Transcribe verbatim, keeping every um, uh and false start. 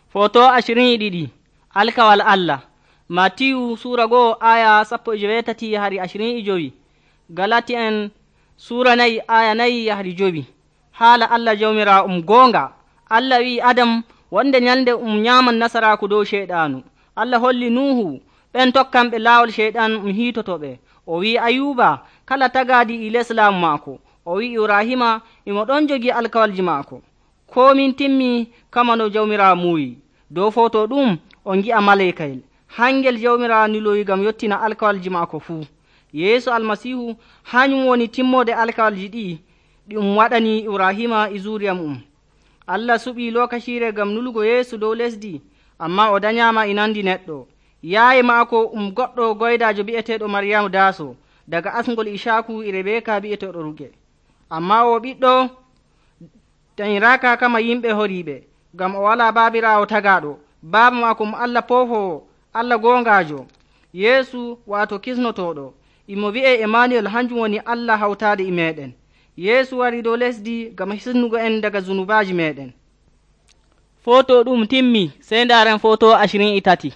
Foto ashirin e ɗiɗi Alkawal Allah. Matiyu Sura goo aya sappo e joweetati yahari ashirin e jowi. Galati en Sura nayi aya nayi yahari jowi. Haala Allah jawmira um goonga. Allah wi Adam wonde nyalnde um nyaaman nasaraaku dow Ceyɗaanu. Allah holli Nuuhu ɓen tokkanɓe laawol Ceyɗan um hiitotoɓe. O wi Ayuba kala tagaadi e les laamu maako. O wi Ibrahima imo ɗon jogi alkawalji maako. Komin timmi kama no jawmira muuyi. Dow foto ɗum on gi'a maleykayel hangel jawmira niloyi gam yottina alkawalji maako fuu. Yeesu almasihu hañum woni timmode alkawalji ɗi ɗi um waɗani Ibrahima e zuriya mu'um. Allah suɓi lokacire gam nulugo Yeesu dow lesdi, amma o danyama e nandi neɗɗo. Yaaye maako um goɗɗo goydajo bi'eteɗo Maryamu Daaso daga asngol Ishaku e Rebeka bi'eteɗo Ruge. Amma o ɓiɗɗo dañiraka kama yimɓe horiɓe, gam o wala baabirawo tagaɗo. Baaba maako mo Allah poofowo, Allah gongajo. Yeesu wato kisnotoɗo, imo wi'e Emmanuel, hanjum woni Allah hawtade e meɗen. Yeesu wari dow lesdi gam hisnugo en daga zunubaji meɗen. Foto ɗum timmi, sey ndaren foto ashirin e tati.